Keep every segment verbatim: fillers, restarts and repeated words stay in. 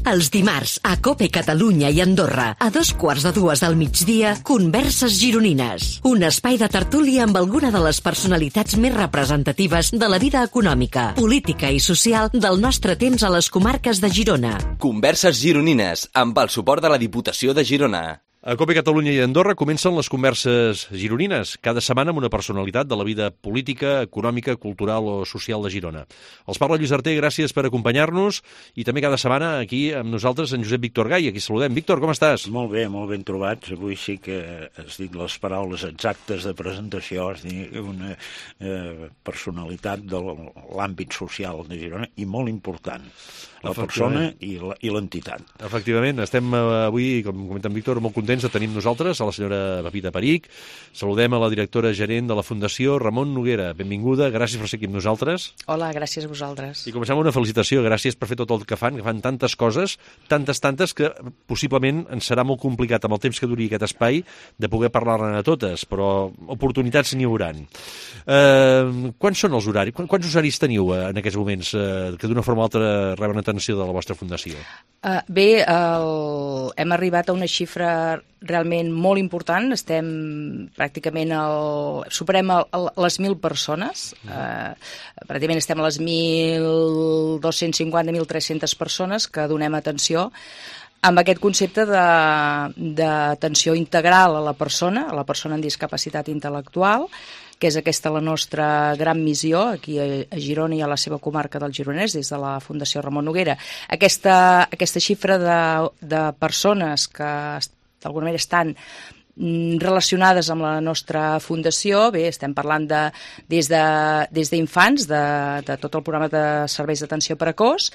Els dimarts, a COPE Catalunya i Andorra, a dos quarts de dues del migdia, Converses Gironines. Un espai de tertúlia amb alguna de les personalitats més representatives de la vida econòmica, política i social del nostre temps a les comarques de Girona. Converses Gironines, amb el suport de la Diputació de Girona. A COPE Catalunya i Andorra comencen les converses gironines, cada setmana amb una personalitat de la vida política, econòmica, cultural o social de Girona. Els parla Lluís Arter, gràcies per acompanyar-nos, i també cada setmana aquí amb nosaltres en Josep Víctor Gai, aquí saludem. Víctor, com estàs? Molt bé, molt ben trobats. Avui sí que has dit les paraules exactes de presentació, has dit una eh, personalitat de l'àmbit social de Girona i molt important. La persona i l'entitat. Efectivament, estem avui, com comenta en Víctor, molt contents de tenir nosaltres a la senyora Pepita Perich. Saludem a la directora gerent de la Fundació, Ramon Noguera. Benvinguda, gràcies per ser aquí amb nosaltres. Hola, gràcies a vosaltres. I comencem amb una felicitació, gràcies per fer tot el que fan, que fan tantes coses, tantes, tantes, que possiblement ens serà molt complicat amb el temps que duri aquest espai de poder parlar-ne a totes, però oportunitats n'hi hauran. Eh, quants són els horaris? Quants usuaris teniu en aquests moments eh, que d'una forma o altra reben atenció de la vostra fundació? Uh, bé, el... hem arribat a una xifra realment molt important. Estem pràcticament al... superem el, el, les mil persones. Uh, pràcticament estem a les mil dos-cents cinquanta a mil tres-centes persones que donem atenció amb aquest concepte d'atenció integral a la persona, a la persona amb discapacitat intel·lectual, que és aquesta la nostra gran missió aquí a Girona i a la seva comarca del Gironès, des de la Fundació Ramon Noguera. Aquesta, aquesta xifra de, de persones que d'alguna manera estan relacionades amb la nostra fundació, bé, estem parlant de, des d'infants, de, de, de tot el programa de serveis d'atenció precoç.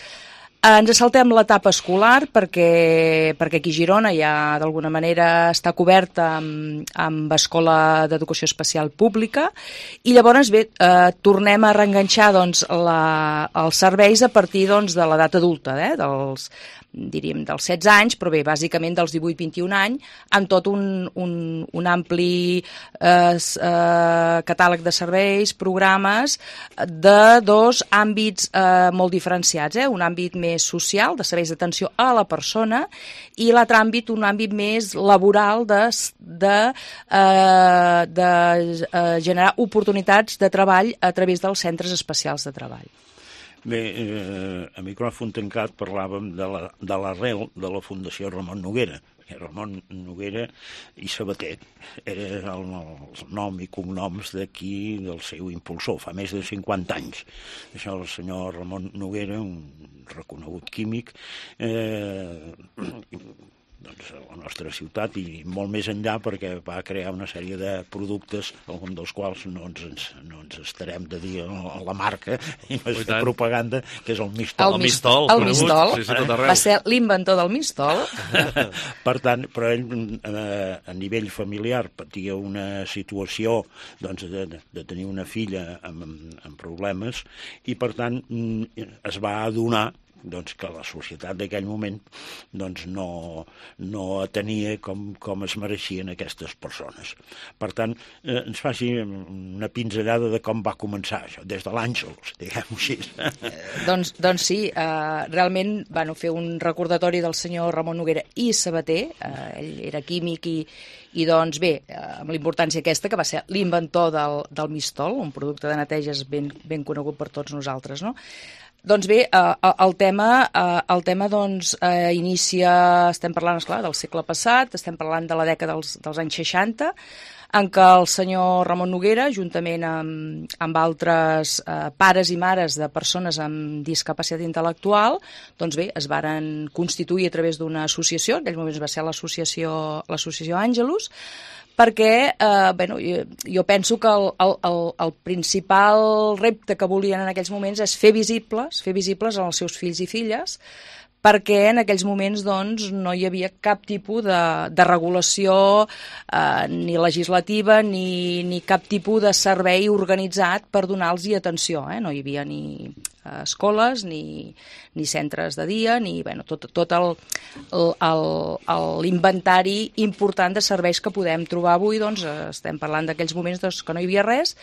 Ens saltem l'etapa escolar perquè, perquè aquí a Girona ja d'alguna manera està coberta amb, amb escola d'educació especial pública i llavors bé, eh, tornem a reenganxar doncs, la, els serveis a partir doncs, de l'edat adulta, eh, dels, diríem dels setze anys, però bé, bàsicament dels divuit a vint-i-un anys, amb tot un, un, un ampli eh, eh, catàleg de serveis, programes de dos àmbits eh, molt diferenciats, eh? Un àmbit més social, de serveis d'atenció a la persona, i l'altre àmbit, un àmbit més laboral de, de, eh, de eh, generar oportunitats de treball a través dels centres especials de treball. Bé, eh, a micròfon tancat parlàvem de la, de l'arrel de la Fundació Ramon Noguera. Ramon Noguera i Sabater era el, el nom i cognoms d'aquí del seu impulsor, fa més de cinquanta anys. Això el senyor Ramon Noguera, un reconegut químic, eh, doncs, a la nostra ciutat i molt més enllà perquè va crear una sèrie de productes, algun dels quals no ens, no ens estarem de dir la marca i no és fer propaganda, que és el Mistol. El Mistol, el Mistol. Sí, sí, va ser l'inventor del Mistol. Per tant, però ell eh, a nivell familiar patia una situació doncs, de, de tenir una filla amb, amb problemes i per tant es va adonar doncs, que la societat d'aquell moment doncs, no, no atenia com, com es mereixien aquestes persones. Per tant, eh, ens faci una pinzellada de com va començar això, des de l'Àngels, diguem-ho així. Eh, doncs, doncs sí, eh, realment van fer un recordatori del senyor Ramon Noguera i Sabater, eh, ell era químic i, i doncs bé, eh, amb la importància aquesta, que va ser l'inventor del, del Mistol, un producte de neteges ben, ben conegut per tots nosaltres, no? Doncs bé, eh, el tema, eh, el tema doncs, eh, inicia, estem parlant, esclar, del segle passat, estem parlant de la dècada dels, dels anys seixanta, en què el senyor Ramon Noguera, juntament amb, amb altres eh, pares i mares de persones amb discapacitat intel·lectual, doncs bé, es varen constituir a través d'una associació, en aquells moments va ser l'associació l'associació Àngelus, perquè eh, bueno, jo, jo penso que el, el, el principal repte que volien en aquells moments és fer visibles, fer visibles als seus fills i filles, perquè en aquells moments doncs, no hi havia cap tipus de, de regulació eh, ni legislativa ni, ni cap tipus de servei organitzat per donar-los atenció. Eh? No hi havia ni eh, escoles, ni, ni centres de dia, ni bueno, tot, tot el, l'inventari important de serveis que podem trobar avui. Doncs, estem parlant d'aquells moments doncs, que no hi havia res.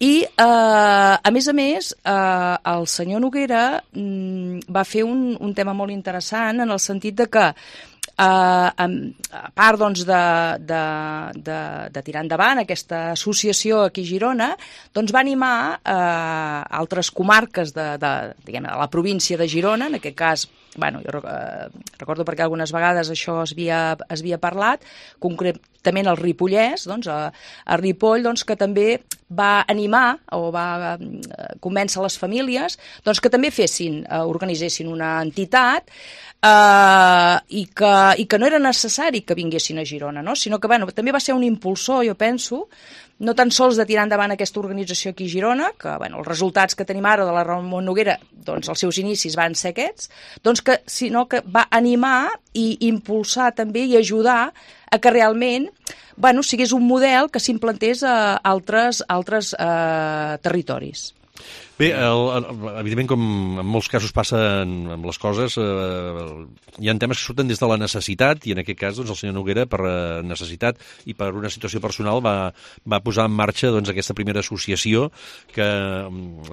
I, eh, a més a més, eh, el senyor Noguera mm, va fer un, un tema molt interessant en el sentit de que Uh, a part doncs, de, de, de, de tirar endavant aquesta associació aquí a Girona, doncs va animar uh, altres comarques de, de, diguem, de la província de Girona, en aquest cas, bueno, jo uh, recordo perquè algunes vegades això es havia, es havia parlat, concretament el Ripollès, doncs, a, a Ripoll, doncs, que també va animar o va uh, convèncer les famílies doncs, que també fessin, uh, organitzessin una entitat Uh, i, que, i que no era necessari que vinguessin a Girona, no? Sinó que bueno, també va ser un impulsor, jo penso, no tan sols de tirar endavant aquesta organització aquí a Girona, que bueno, els resultats que tenim ara de la Ramon Noguera, doncs els seus inicis van ser aquests, doncs que, sinó que va animar i impulsar també i ajudar a que realment bueno, sigués un model que s'implantés a altres, altres uh, territoris. Bé, el, el, evidentment, com en molts casos passa amb les coses, eh, hi ha temes que surten des de la necessitat, i en aquest cas doncs, el senyor Noguera, per necessitat i per una situació personal, va, va posar en marxa doncs, aquesta primera associació que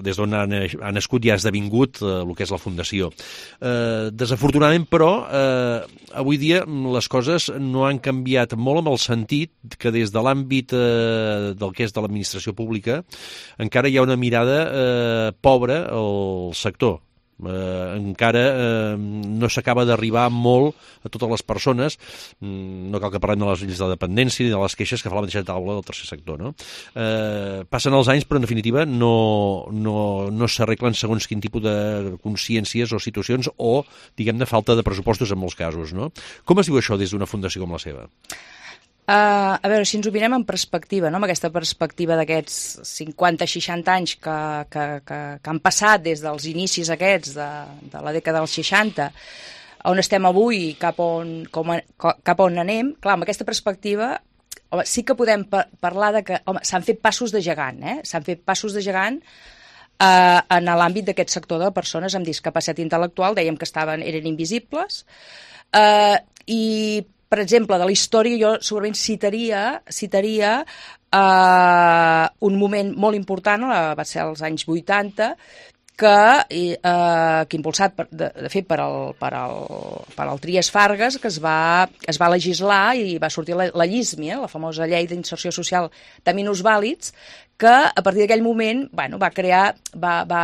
des d'on ha, ha nascut i ha esdevingut eh, el que és la Fundació. Eh, desafortunadament, però, eh, avui dia les coses no han canviat molt amb el sentit que des de l'àmbit eh, del que és de l'administració pública encara hi ha una mirada eh, pobre al sector. Eh, encara eh, no s'acaba d'arribar molt a totes les persones, no cal que parlem de les lleis de dependència ni de les queixes que fa la mateixa taula del tercer sector, no? Eh, passen els anys, però en definitiva no, no, no s'arreglen segons quin tipus de consciències o situacions o, diguem-ne, falta de pressupostos en molts casos, no? Com es diu això des d'una fundació com la seva? Uh, a veure, si ens ho mirem en perspectiva, no? Amb aquesta perspectiva d'aquests cinquanta seixanta anys que, que, que, que han passat des dels inicis aquests de, de la dècada dels seixanta, on estem avui, cap on, com a, cap on anem, clar, amb aquesta perspectiva home, sí que podem par parlar de que s'han fet passos de gegant, eh? S'han fet passos de gegant uh, en l'àmbit d'aquest sector de persones amb discapacitat intel·lectual, dèiem que estaven, eren invisibles, uh, i per exemple, de la història jo segurament citaria, citaria eh, un moment molt important, va ser als anys vuitanta, que, eh, que impulsat, per, de, de fet, per al, per al, per al Trias Fargas, que es va, es va legislar i va sortir la, la LLISMI, eh, la famosa Llei d'Inserció Social de Minusvàlids, que a partir d'aquell moment bueno, va crear, va, va,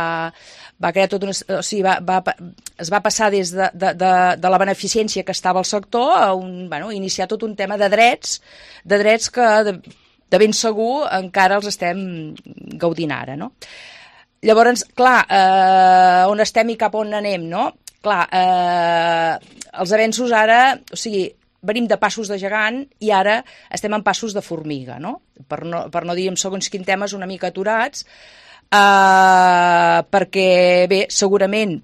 va crear tot una, o sigui, va, va, es va passar des de, de, de, de la beneficència que estava al sector a un, bueno, iniciar tot un tema de drets, de drets que de, de ben segur encara els estem gaudint ara, no? Llavors, clar, eh, on estem i cap on anem, no? Clar, eh, els avenços ara, o sigui, venim de passos de gegant i ara estem en passos de formiga, no? Per no, per no dir en segons quins temes una mica aturats, eh, perquè, bé, segurament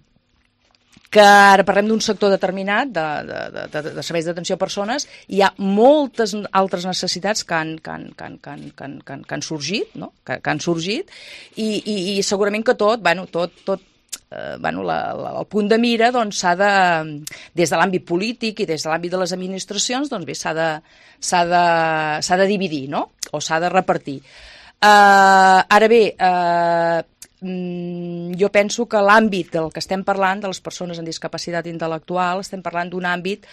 que ara parlem d'un sector determinat de, de, de, de serveis d'atenció a persones, hi ha moltes altres necessitats que han, que han, que han, que han, que han, que han, que han sorgit, no? que, que han sorgit i, i, i segurament que tot, bueno, tot, tot eh, bueno, la, la, el punt de mira doncs, s'ha de, des de l'àmbit polític i des de l'àmbit de les administracions, doncs bé, s'ha de, s'ha de, s'ha de dividir, no? O s'ha de repartir. Uh, ara bé, uh, jo penso que l'àmbit del que estem parlant, de les persones amb discapacitat intel·lectual, estem parlant d'un àmbit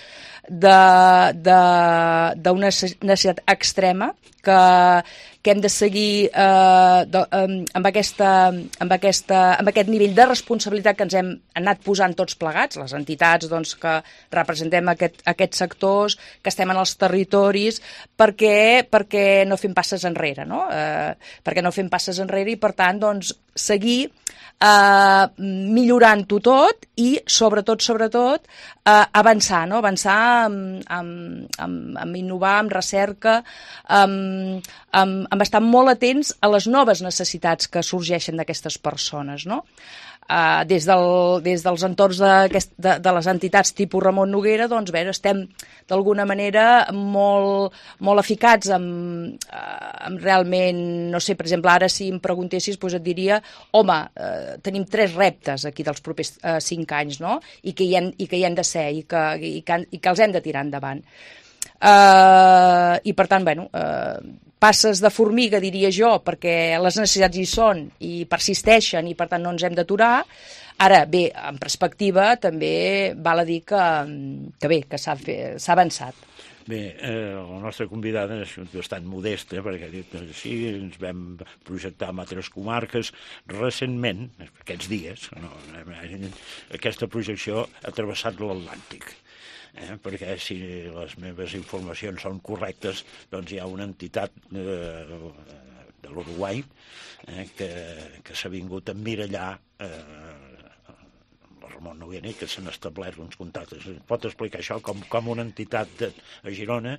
d'una necessitat extrema que, que hem de seguir eh, de, amb, aquesta, amb, aquesta, amb aquest nivell de responsabilitat que ens hem anat posant tots plegats, les entitats doncs, que representem aquest, aquests sectors, que estem en els territoris, perquè, perquè no fem passes enrere, no? Eh, perquè no fem passes enrere i, per tant, doncs, seguir eh, millorant-ho tot i, sobretot, sobretot, eh, avançar, no? Avançar amb, amb, amb, amb innovar, amb recerca, amb, amb, amb estar molt atents a les noves necessitats que sorgeixen d'aquestes persones, no? Uh, des, del, des dels entorns de, de, de les entitats tipus Ramon Noguera, doncs bé, estem d'alguna manera molt, molt eficats amb, amb realment, no sé, per exemple, ara si em preguntessis, doncs et diria, home, uh, tenim tres reptes aquí dels propers uh, cinc anys, no? I que hi han, i que hi han de ser i que, i que, i que els hem de tirar endavant. Uh, I per tant, bueno, uh, passes de formiga, diria jo, perquè les necessitats hi són i persisteixen i per tant no ens hem d'aturar. Ara, bé, en perspectiva també val a dir que, que bé, que s'ha avançat. Bé, eh, la nostra convidada és bastant modesta, perquè ha dit sí, ens vam projectar en altres comarques. Recentment, aquests dies, no, aquesta projecció ha travessat l'Atlàntic. Eh, perquè si les meves informacions són correctes, doncs hi ha una entitat eh, de l'Uruguai eh, que, que s'ha vingut a emmirallar eh, Ramon Noguera, que s'han establert uns contactes. Pot explicar això com, com una entitat de, a Girona,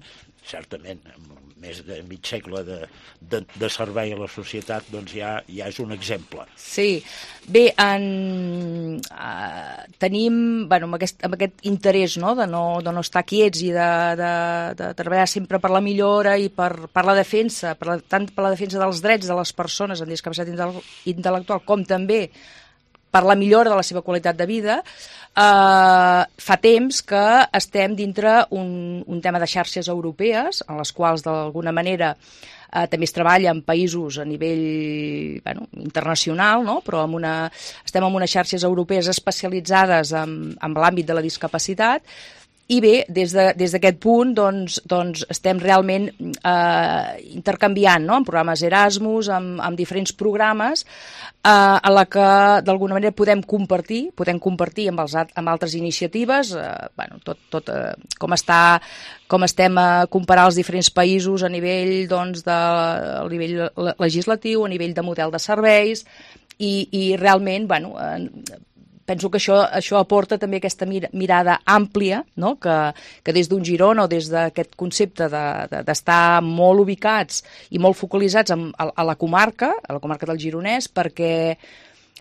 certament, amb més de mig segle de, de, de servei a la societat, doncs ja, ja és un exemple. Sí, bé, en, uh, tenim, bueno, amb, aquest, amb aquest interès, no?, de, no, de no estar quiets i de, de, de treballar sempre per la millora i per, per la defensa, per la, tant per la defensa dels drets de les persones amb discapacitat intel·lectual com també per la millora de la seva qualitat de vida, eh, fa temps que estem dintre un, un tema de xarxes europees, en les quals d'alguna manera eh, també es treballa en països a nivell bueno, internacional, no? Però amb una, estem en unes xarxes europees especialitzades en, en l'àmbit de la discapacitat. I bé, des de, des d'aquest punt doncs, doncs estem realment eh, intercanviant, no?, en programes Erasmus, amb, amb diferents programes eh, en la que d'alguna manera podem compartir, podem compartir amb, els, amb altres iniciatives, eh, bueno, tot, tot eh, com, està, com estem a comparar els diferents països a nivell, doncs, de, a nivell legislatiu, a nivell de model de serveis, i, i realment, bueno, eh, penso que això, això aporta també aquesta mir mirada àmplia, no?, que, que des d'un Girona o des d'aquest concepte d'estar de, de, molt ubicats i molt focalitzats en, a, a la comarca, a la comarca del Gironès, perquè,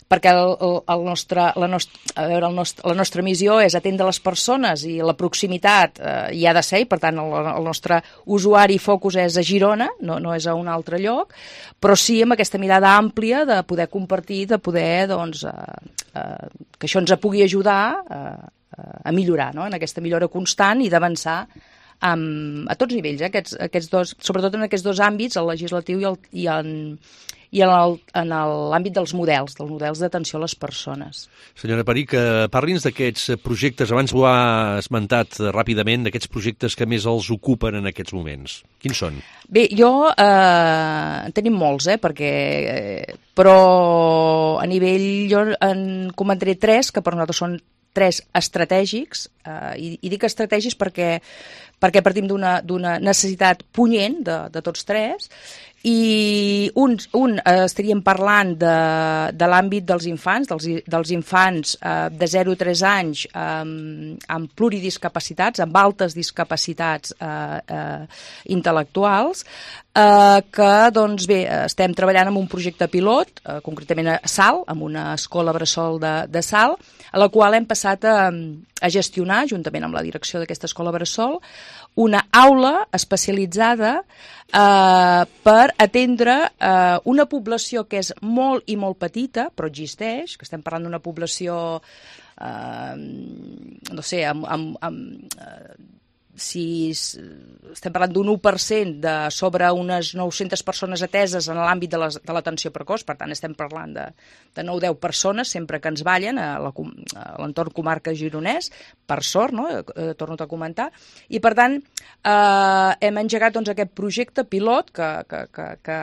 perquè el, el nostre, la, nostra, a veure, el nostre, la nostra missió és atendre les persones i la proximitat eh, hi ha de ser, i per tant el, el nostre usuari focus és a Girona, no, no és a un altre lloc, però sí amb aquesta mirada àmplia de poder compartir, de poder, doncs, eh, eh, que això ens pugui ajudar eh, a millorar, no?, en aquesta millora constant i d'avançar um, a tots nivells, eh, aquests, aquests dos, sobretot en aquests dos àmbits, el legislatiu i, el, i en i en l'àmbit dels models, dels models d'atenció a les persones. Senyora Peric, parli'ns d'aquests projectes, abans ho ha esmentat ràpidament, d'aquests projectes que més els ocupen en aquests moments. Quins són? Bé, jo eh, en tenim molts, eh, perquè, eh, però a nivell, jo en comentaré tres, que per nosaltres són tres estratègics, eh, i, i dic estratègics perquè, perquè partim d'una necessitat punyent de, de tots tres, i un, un eh, estaríem parlant de, de l'àmbit dels infants, dels, dels infants eh, de zero a tres anys eh, amb pluridiscapacitats, amb altes discapacitats eh, eh, intel·lectuals, eh, que doncs bé, estem treballant en un projecte pilot, eh, concretament a Salt, en una escola bressol de, de Salt, a la qual hem passat a, a gestionar, juntament amb la direcció d'aquesta escola bressol, una aula especialitzada eh, per atendre eh, una població que és molt i molt petita, però existeix, que estem parlant d'una població, eh, no sé, amb, amb, amb eh, si estem parlant d'un u per cent de sobre unes nou-centes persones ateses en l'àmbit de l'atenció precoç, per tant estem parlant de, de nou o deu persones sempre que ens ballen a l'entorn comarca gironès, per sort, no? Eh, torno a comentar, i per tant eh, hem engegat doncs, aquest projecte pilot que, que, que, que,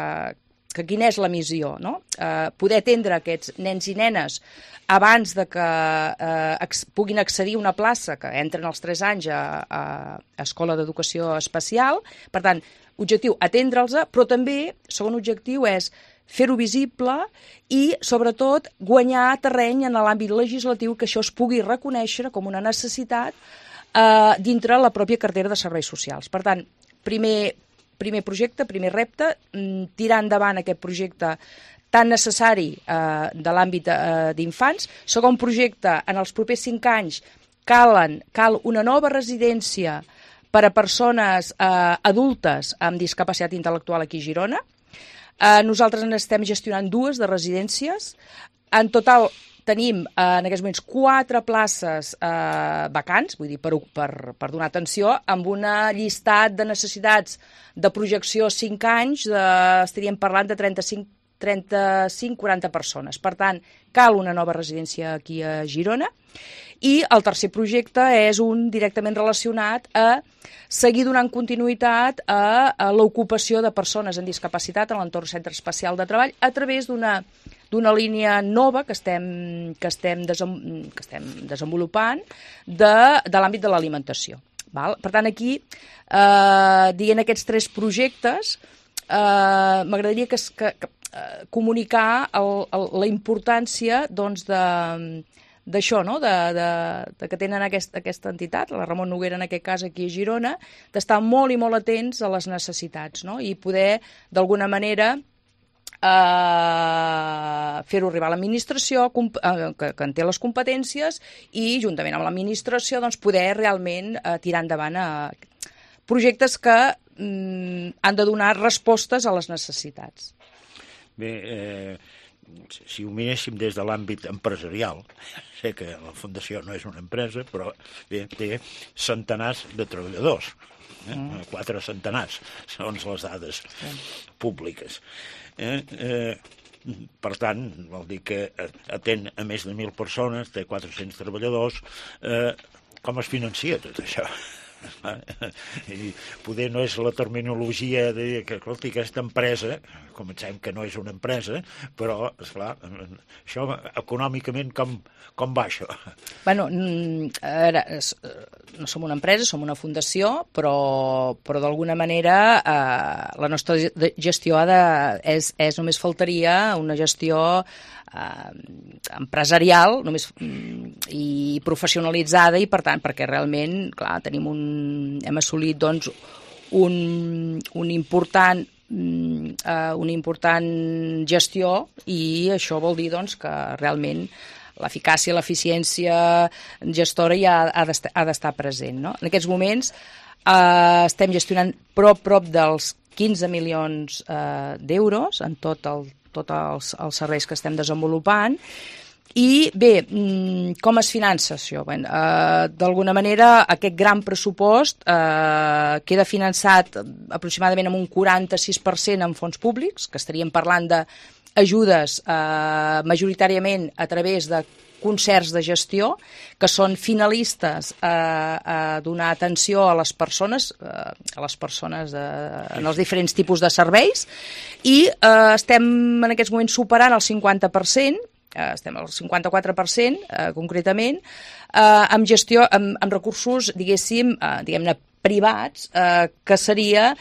que quina és la missió, no? Eh, poder atendre aquests nens i nenes abans de que eh, ex, puguin accedir a una plaça, que entren als tres anys a, a, a escola d'educació especial. Per tant, objectiu, atendre'ls, però també, segon objectiu, és fer-ho visible i, sobretot, guanyar terreny en l'àmbit legislatiu, que això es pugui reconèixer com una necessitat eh, dintre la pròpia cartera de serveis socials. Per tant, primer, primer projecte, primer repte, tirar endavant aquest projecte tan necessari eh, de l'àmbit eh, d'infants. Segon projecte, en els propers cinc anys calen, cal una nova residència per a persones eh, adultes amb discapacitat intel·lectual aquí a Girona. Eh, nosaltres en estem gestionant dues de residències. En total tenim eh, en aquests moments quatre places eh, vacants, vull dir, per, per, per donar atenció, amb una llistat de necessitats de projecció cinc anys, de, estaríem parlant de trenta-cinc trenta-cinc quaranta persones. Per tant, cal una nova residència aquí a Girona. I el tercer projecte és un directament relacionat a seguir donant continuïtat a, a l'ocupació de persones amb discapacitat en l'entorn Centre Especial de Treball a través d'una d'una línia nova que estem, que estem, desem, que estem desenvolupant de, de l'àmbit de l'alimentació. Val? Per tant, aquí, eh, dient aquests tres projectes, eh, m'agradaria que, que, que eh, comunicar el, el, la importància doncs, de d'això, no? de, de, de que tenen aquest, aquesta entitat, la Ramon Noguera en aquest cas aquí a Girona, d'estar molt i molt atents a les necessitats, no? I poder, d'alguna manera, eh, fer-ho arribar a l'administració, eh, que, que en té les competències, i juntament amb l'administració doncs, poder realment eh, tirar endavant a projectes que mm, han de donar respostes a les necessitats. Bé, eh, si ho miréssim des de l'àmbit empresarial, sé que la Fundació no és una empresa, però bé, té centenars de treballadors, eh? Mm. quatre centenars, segons les dades mm. públiques. Eh, eh, per tant, vol dir que atén a més de mil persones, té quatre-cents treballadors. Eh, com es financia tot això? I poder no és la terminologia de dir que, escolti, aquesta empresa, comencem que no és una empresa, però, esclar, això econòmicament com, com va això? Bueno, ara, no som una empresa, som una fundació, però, però d'alguna manera eh, la nostra gestió ha de, és, és només faltaria una gestió eh, empresarial només, i professionalitzada, i per tant, perquè realment, clar, tenim un, hem assolit doncs, un, un important eh, una important gestió, i això vol dir doncs, que realment l'eficàcia, l'eficiència gestora ja ha d'estar, ha d'estar present. No? En aquests moments eh, estem gestionant prop, prop dels quinze milions eh, d'euros en tot el tots els, els serveis que estem desenvolupant. I bé, com es finança això? Bé, eh, d'alguna manera aquest gran pressupost eh, queda finançat aproximadament amb un quaranta-sis per cent en fons públics, que estaríem parlant d'ajudes eh, majoritàriament a través de concerts de gestió, que són finalistes a, a donar atenció a les persones, a les persones de, en els diferents tipus de serveis, i eh, estem en aquests moments superant el cinquanta per cent, eh, estem al cinquanta-quatre per cent eh, concretament, eh, amb gestió, amb, amb recursos, diguéssim, eh, diguem-ne, privats, eh, que seria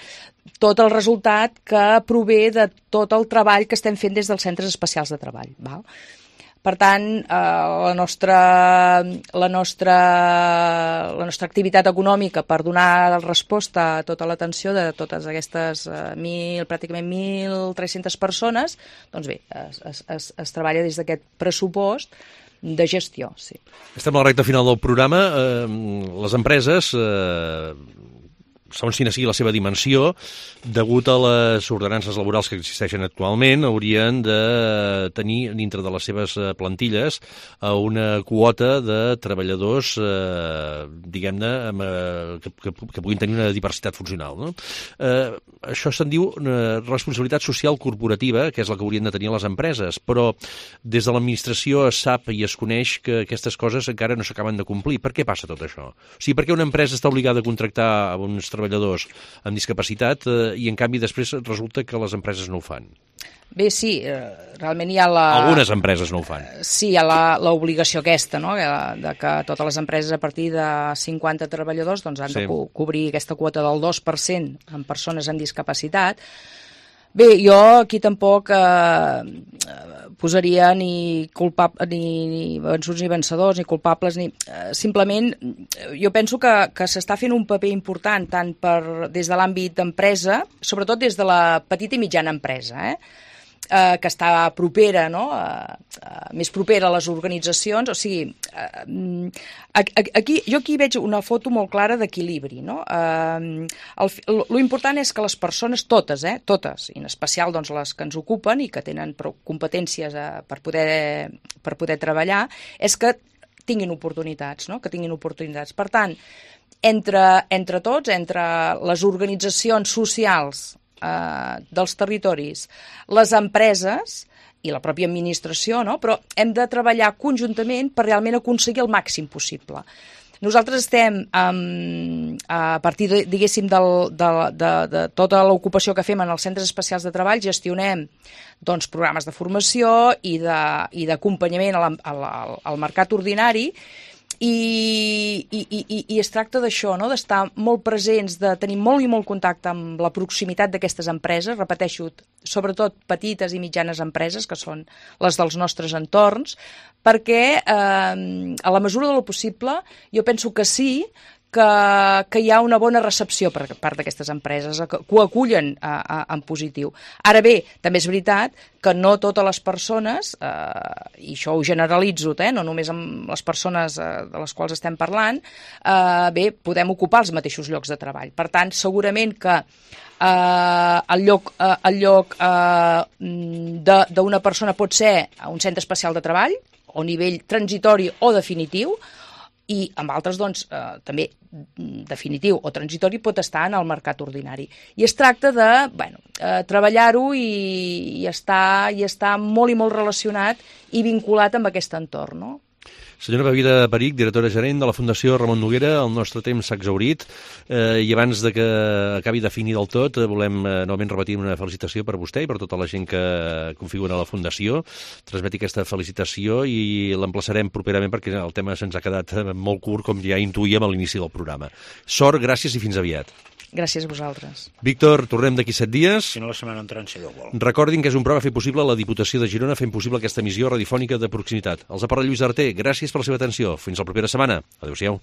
tot el resultat que prové de tot el treball que estem fent des dels centres especials de treball. Val? Per tant, eh, la, nostra, la, nostra, la nostra activitat econòmica per donar resposta a tota l'atenció de totes aquestes eh, mil, pràcticament mil tres-centes persones, doncs bé, es, es, es, es treballa des d'aquest pressupost de gestió. Sí. Estem a la recta final del programa. Eh, les empreses, eh, segons quina sigui la seva dimensió, degut a les ordenances laborals que existeixen actualment, haurien de tenir dintre de les seves plantilles una quota de treballadors, eh, diguem-ne, que, que, que puguin tenir una diversitat funcional. No? Eh, això se'n diu una responsabilitat social corporativa, que és la que haurien de tenir les empreses, però des de l'administració es sap i es coneix que aquestes coses encara no s'acaben de complir. Per què passa tot això? O sigui, per què una empresa està obligada a contractar a uns treballadors amb discapacitat eh, i en canvi després resulta que les empreses no ho fan? Bé, sí, eh, realment hi ha la... Algunes empreses no ho fan. Sí, hi ha l'obligació aquesta, no?, de que totes les empreses a partir de cinquanta treballadors doncs, han sí. de co cobrir aquesta quota del dos per cent amb persones amb discapacitat. Bé, jo aquí tampoc eh, posaria ni, culpab ni, ni vençuts ni vencedors, ni culpables, ni... Eh, simplement, jo penso que, que s'està fent un paper important tant per, des de l'àmbit d'empresa, sobretot des de la petita i mitjana empresa, eh? eh, que està propera, no? eh, eh, més propera a les organitzacions, o sigui, eh, aquí, jo aquí veig una foto molt clara d'equilibri, no? Eh, el, lo important és que les persones, totes, eh, totes, i en especial doncs, les que ens ocupen i que tenen prou competències eh, per, poder, per poder treballar, és que tinguin oportunitats, no? Que tinguin oportunitats. Per tant, entre, entre tots, entre les organitzacions socials eh, dels territoris, les empreses i la pròpia administració, no? Però hem de treballar conjuntament per realment aconseguir el màxim possible. Nosaltres estem, um, a partir, de, diguéssim, del, de, de, de tota l'ocupació que fem en els centres especials de treball, gestionem doncs, programes de formació i d'acompanyament al, al, al mercat ordinari, i, i, i, i es tracta d'això, no? D'estar molt presents, de tenir molt i molt contacte amb la proximitat d'aquestes empreses, repeteixo, sobretot petites i mitjanes empreses, que són les dels nostres entorns, perquè eh, a la mesura del possible jo penso que sí, que, que hi ha una bona recepció per part d'aquestes empreses, que, que ho acullen a, a, en positiu. Ara bé, també és veritat que no totes les persones, eh, i això ho generalitzo, eh, no només amb les persones eh, de les quals estem parlant, eh, bé, podem ocupar els mateixos llocs de treball. Per tant, segurament que eh, el lloc, eh, el lloc eh, d'una persona pot ser un centre especial de treball, o nivell transitori o definitiu, i amb altres, doncs, eh, també definitiu o transitori pot estar en el mercat ordinari. I es tracta de bueno, eh, treballar-ho i, i, estar, i estar molt i molt relacionat i vinculat amb aquest entorn, no? Senyora Bevila Perich, directora gerent de la Fundació Ramon Noguera, el nostre temps s'ha exhaurit eh, i abans de que acabi de finir del tot eh, volem eh, novament repetir una felicitació per vostè i per tota la gent que configura la Fundació. Transmeti aquesta felicitació i l'emplaçarem properament perquè el tema se'ns ha quedat molt curt, com ja intuïem a l'inici del programa. Sort, gràcies i fins aviat. Gràcies a vosaltres. Víctor, tornem d'aquí set dies. Si no, la setmana entrant, si Déu vol. Recordin que és un programa fet possible a la Diputació de Girona fent possible aquesta emissió radiofònica de proximitat. Els ha parlat Lluís Arter. Gràcies per la seva atenció. Fins la propera setmana. Adéu-siau.